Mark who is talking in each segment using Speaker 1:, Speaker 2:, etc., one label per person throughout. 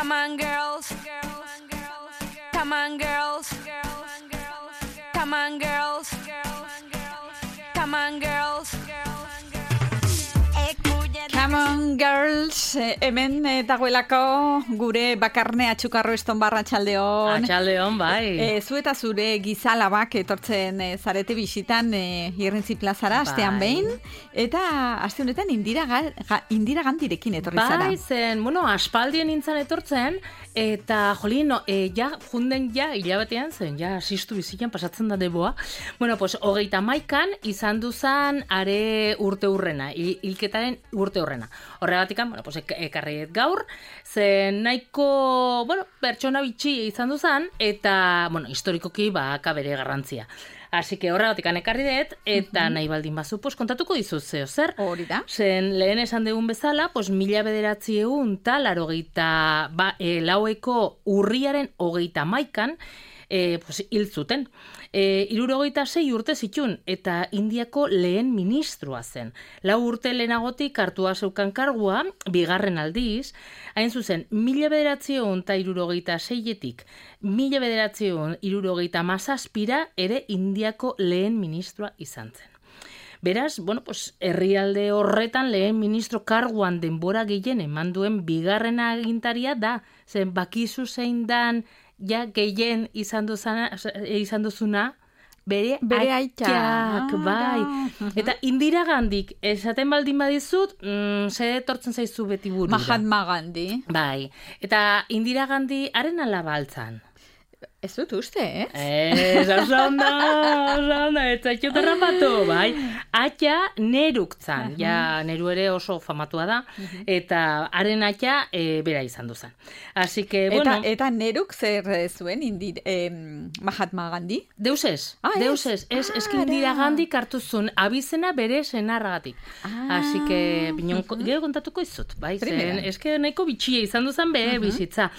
Speaker 1: Come on, girls. Come on, girls. Come on, girls. Come on, girls.
Speaker 2: Come on, girls, hemen dagoelako gure bakarne atxukarro estonbarra txaldeon.
Speaker 3: Atxaldeon, bai.
Speaker 2: Zu eta zure gizalabak etortzen zarete bisitan Irrintzi plazara, astean behin. Eta aste honetan Indira Gandirekin etorri zara.
Speaker 3: Bai, zen, aspaldien nintzen etortzen, eta jolin, junden hilabetean zen, asistu bizitzen pasatzen da deboa. 31an izan duzan are urte hurrena, hilketaren urte hurrena. Horregatikan, ekarriet gaur, zen nahiko, pertsona bitxi izan duzan, eta, historikoki baka bere garrantzia. Así que horregatikan ekarri dut, eta nahi baldin bazu, kontatuko dizut zeo zer.
Speaker 2: Hori da.
Speaker 3: Zen lehen esan dugun bezala, 1900 laueko urriaren 31an, hil zuten. 76 urte zitun, eta Indiako lehen ministroa zen. 4 urte lehenagotik hartua zeukan kargua, bigarren aldiz, hain zuzen, 1976etik 1977 ere Indiako lehen ministroa izan zen. Beraz, herrialde horretan lehen ministro karguan denbora gehien eman duen bigarren agintaria da, zen bakizu zein dan gehien izan duzuna, bere aitak, bai. Eta Indira Gandik, esaten baldin badizut, zer etortzen zaizu beti burura.
Speaker 2: Mahatma Gandhi.
Speaker 3: Bai, eta Indira Gandhi haren alaba altzan.
Speaker 2: Ez dut uste,
Speaker 3: oso ondo, ez zaitut errapatu, bai. Atxa Neruk zan, Neru ere oso famatua da, eta haren atxa bera izan duzan. Así que,
Speaker 2: Eta Neruk zer zuen Mahatma Gandhi?
Speaker 3: Deus ez. Eski Indira Gandhi kartuzun abizena bere senarragatik. Así que, gero kontatuko izut, bai, zen, eski nahiko bitxia izan duzan bere bizitza.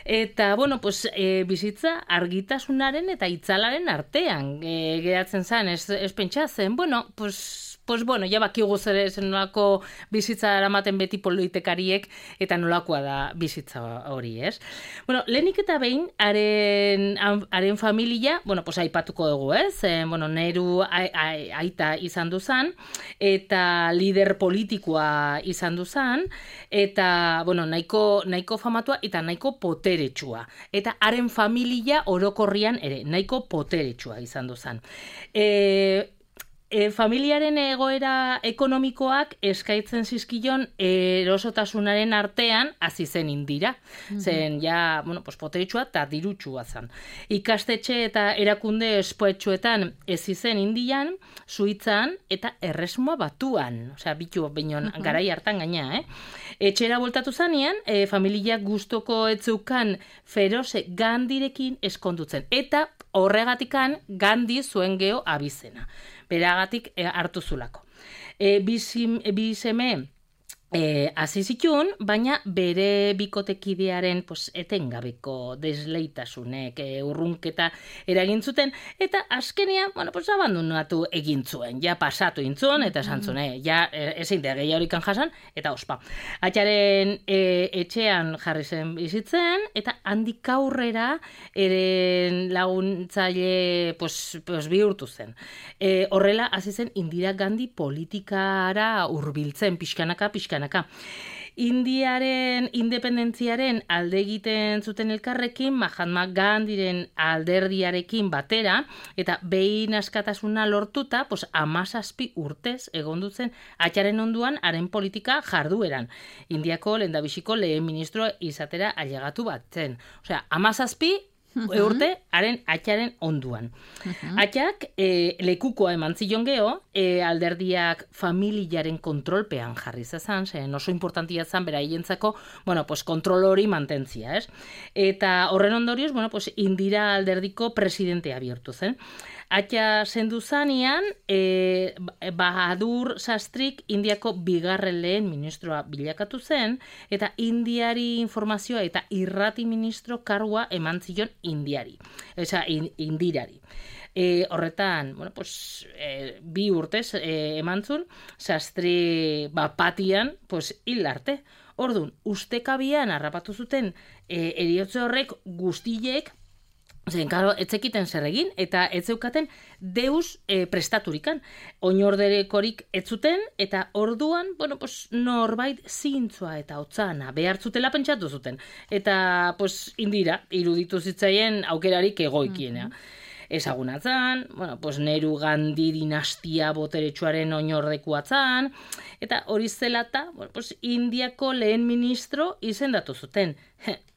Speaker 3: Eta, bizitza argitasunaren eta itzalaren artean geratzen zen, ez pentsa zen, bakigu zen nolako bizitza eramaten beti politikariek eta nolakoa da bizitza hori, ez? Lehenik eta behin, haren familia, aipatuko dugu, ez? Neru aita izan duzan, eta lider politikoa izan duzan, eta, nahiko famatua eta nahiko poteretsua. Eta haren familia orokorrian ere, nahiko poteretsua izan duzan. Familiaren egoera ekonomikoak eskaitzen zizkion erosotasunaren artean hasi zen Indira. Zen poteritsua eta dirutsua zen. Ikastetxe eta erakunde espoetxuetan ez izen Indian, Suitzan eta Erresuma Batuan. Bitu beinon garai hartan gaina, Etxera voltatu zanean, familia gustoko etzeukan Feroze Gandirekin eskondutzen. Eta horregatikan Gandhi zuen geho abizena. Beragatik hartu zulako. Bi seme hasi zituen, baina bere bikotekidearen etengabeko desleitasunek urrunketa eragin zuten, eta azkenean, abandonatu egin zuen, pasatu intzuen, eta esan zuen, ezin da gehiagorikan jasan, eta ospa. Atxaren etxean jarri zen bizitzen, eta handik aurrera eren laguntzaile bihurtu zen. Horrela, hasi zen Indira Gandhi politikara hurbiltzen pixkanaka. Indiaren independentziaren alde egiten zuten elkarrekin, Mahatma Gandhiren alderdiarekin batera, eta behin askatasuna lortuta, 17 urtez egon duzen atxaren onduan haren politika jardueran. Indiako lehendabiziko lehen ministro izatera ailegatu batzen. 17 urte haren atxaren onduan. Atxak lekukoa eman zion geho, alderdiak familiaren kontrolpean jarri zezan, zen oso importantia zan bera hientzako, kontrol hori mantentzia, ez? Eta horren ondorioz, Indira alderdiko presidentea bihurtu zen. Atxa zendu zanean, Bahadur Shastrik Indiako bigarren lehen ministroa bilakatu zen, eta Indiari informazioa eta irrati ministro kargua eman zion Indirari. Horretan, 2 urtez eman zuen, Shastri batian hil arte. Orduan, ustekabian harrapatu zuten eriotze horrek guztiek, zen, karo, etzekiten zer egin, eta ez zeukaten deus prestaturikan. Oinorderekorik ez zuten, eta orduan, bueno, pues, norbait zintzua eta hotzana behartzutela pentsatu zuten. Eta, pues, Indira, iruditu zitzaien aukerarik egoikiena. Ezagunatzen, bueno, pues, Nehru Gandhi dinastia boteretsuaren oinordekuatzen, eta hori zelata, bueno, pues, Indiako lehen ministro izendatu zuten.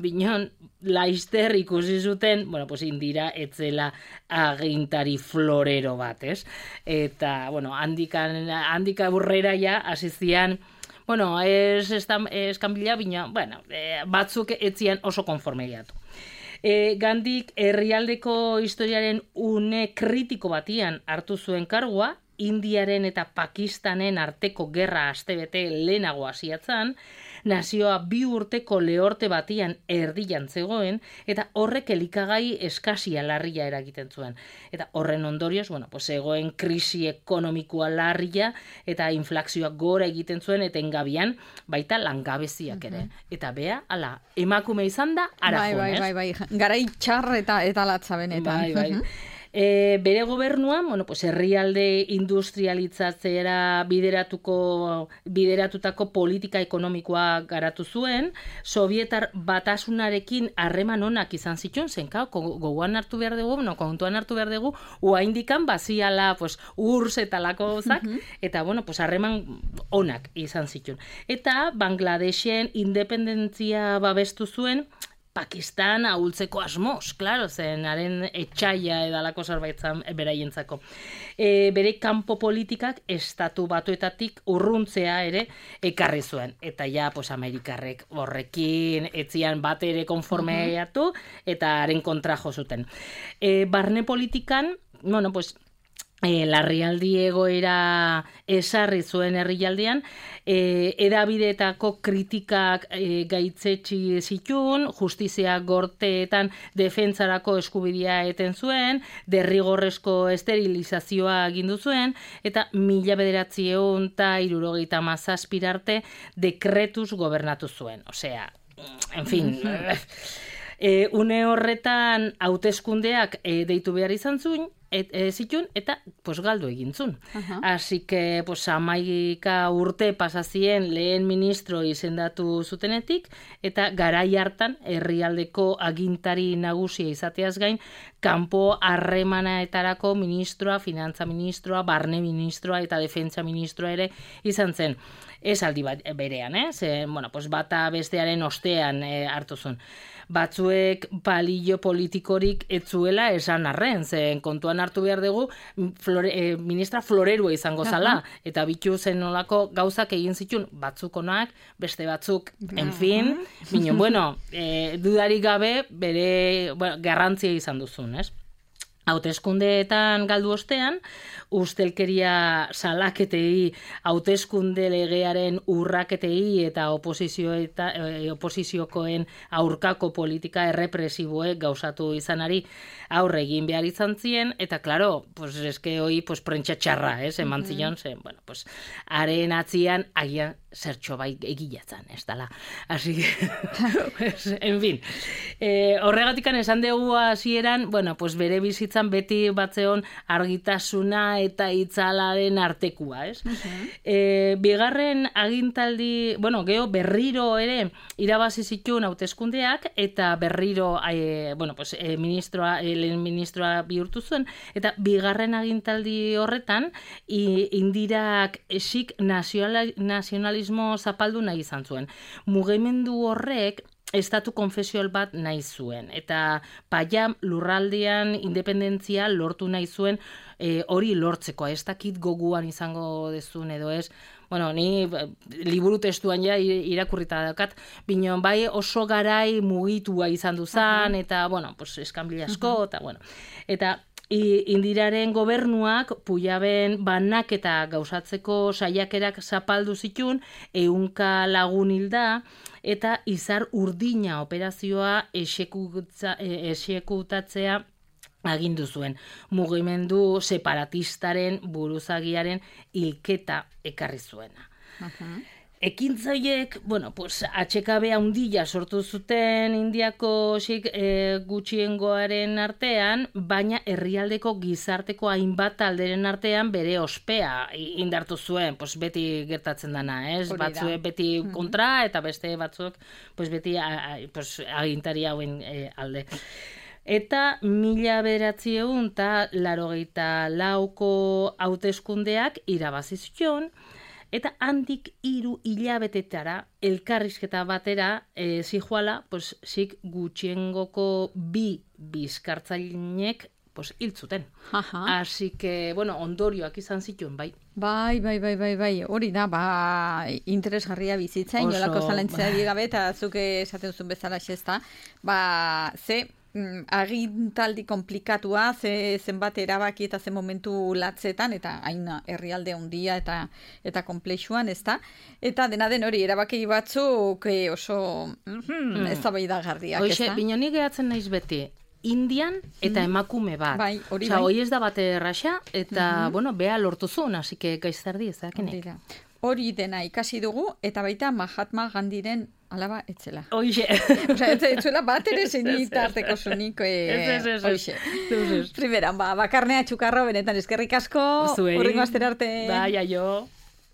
Speaker 3: Binon, laizter ikusi zuten, bueno, pues, Indira etzela agintari florero bat, ez? Eta, bueno, handika burrera ja, hasizian, bueno, eskanbila, bina, bueno, batzuk etzian oso konformeiatu. Gandik herrialdeko historiaren une kritiko batian hartu zuen kargua, Indiaren eta Pakistanen arteko gerra astebete lehenago hasiatzen, nazioa 2 urteko lehorte batian erdian zegoen, eta horrek elikagai eskasia larria eragiten zuen. Eta horren ondorioz, bueno, pues, egoen krisi ekonomikoa larria, eta inflazioa gora egiten zuen, eta engabian baita langabeziak ere. Eta bea, ala, emakume izan da, arajon,
Speaker 2: Bai. Garai txar eta latza benetan.
Speaker 3: Bai. Bere gobernuan, bueno, pues, herrialde industrialitzatzera bideratutako politika ekonomikoa garatu zuen, Sovietar batasunarekin harreman onak izan zituen, zenka, kontuan hartu behar dugu, oraindikan baziala, pues, URSS eta lako gozak, eta, bueno, pues, harreman onak izan zituen. Eta Bangladeshen independentzia babestu zuen, Pakistan ahultzeko asmoz, klaro, zen haren etxaia edalako zerbaitzan beraientzako. Bere kanpo politikak estatu batuetatik urruntzea ere ekarri zuen. Eta ja, pues, Amerikarrek horrekin etzian bat ere konformeatu eta haren kontra jo zuten. Barne politikan, bueno, pues, larrialdi egoera esarri zuen herrialdean, edabideetako kritikak gaitzetsi zituen, justizia gorteetan defentsarako eskubidea eten zuen, derrigorrezko esterilizazioa agindu zuen, eta 1977 arte dekretuz gobernatu zuen. Osea, en fin... Une horretan hauteskundeak deitu behar izan zuen, zituen, eta pues, galdu egin zuen. Así que, pues, 11 urte pasazien lehen ministro izendatu zutenetik, eta garai hartan herrialdeko agintari nagusia izateaz gain, kanpo harremanaetarako ministroa, finantza ministroa, barne ministroa eta defentsa ministroa ere izan zen. Ez aldi berean, bueno, pues, bata bestearen ostean hartu zuen. Batzuek palillo politikorik etzuela esan arren, zen kontuan hartu behar dugu ministra florerua izango zala, eta bitu zen nolako gauzak egin zituen, batzuk onak, beste batzuk, en fin, bino, bueno, dudarik gabe bere garrantzia izan duzun, ez? Hauteskundeetan galdu ostean, ustelkeria salaketei, hauteskunde legearen urraketei eta oposiziokoen aurkako politika errepresiboek gauzatu izanari aurre egin behar izan zien, eta klaro, pues eske hoi pues prentsa txarra, eman zion, bueno, pues haren atzian agian zertxo bai egilatzen, ez dala. Así que, pues, en fin, horregatikan esan dugu hasieran, bueno, pues bere bizitzan beti batzeon argitasuna eta itzalaren artekua, ez? Bigarren agintaldi, bueno, geho berriro ere irabazi zituen hauteskundeak eta berriro, bueno, pues lehen ministroa bihurtu zuen, eta bigarren agintaldi horretan Indirak esik nazionalismo zapaldu nahi izan zuen. Mugimendu horrek estatu konfesioal bat nahi zuen, eta Payam lurraldean independentzia lortu nahi zuen, hori lortzeko, ez dakit goguan izango dezun edo ez, bueno, ni liburu testuan ja irakurrita daukat, binon bai oso garai mugitua izan duzan, eta, bueno, pues eskanbila asko, eta, bueno, eta Indiraren gobernuak Pujaben banaketa gauzatzeko saiakerak zapaldu zituen, 100 lagun hilda, eta izar urdina operazioa exekutatzea agindu zuen. Mugimendu separatistaren buruzagiaren hilketa ekarri zuena. Ekintza horiek, bueno, pues, atxekabe handia sortu zuten Indiako gutxiengoaren artean, baina herrialdeko gizarteko hainbat talderen artean bere ospea indartu zuen, pues, beti gertatzen dana, ez? Batzuek beti kontra, eta beste batzuk pues, beti agintari hauen alde. Eta 1984ko hauteskundeak irabazi zuen, eta handik 3 hilabetetara elkarrizketa batera zijoala, pues, gutxiengoko 2 bizkartzaileek pues, hil zuten. Así que, bueno, ondorioak izan zituen, bai.
Speaker 2: Bai, hori da, interesgarria bizitza, inolako zalantzari gabe, eta zuke esaten zuen bezala xesta, agintaldi komplikatua, zenbat erabaki eta zen momentu latzetan, eta hain herrialde handia eta konplexuan, ezta? Eta dena den hori, erabaki batzuk oso eztabaidagarriak, ezta?
Speaker 3: Hoxe, binoni gehatzen naiz beti, Indian eta emakume bat.
Speaker 2: Bai, hori
Speaker 3: bai. Hoi ez da bate erraxa, eta, bueno, bea lortu zuen, así que gaiztardi ez dakinek.
Speaker 2: Hori dena ikasi dugu, eta baita Mahatma Gandiren alaba etzela.
Speaker 3: Hoxe.
Speaker 2: Etzuela bat ere zenitarteko zunik. Hoxe. Primeran, bakarnea txukarro, benetan eskerrik asko.
Speaker 3: Zuei.
Speaker 2: Urrengo astera arte.
Speaker 3: Bai, aio.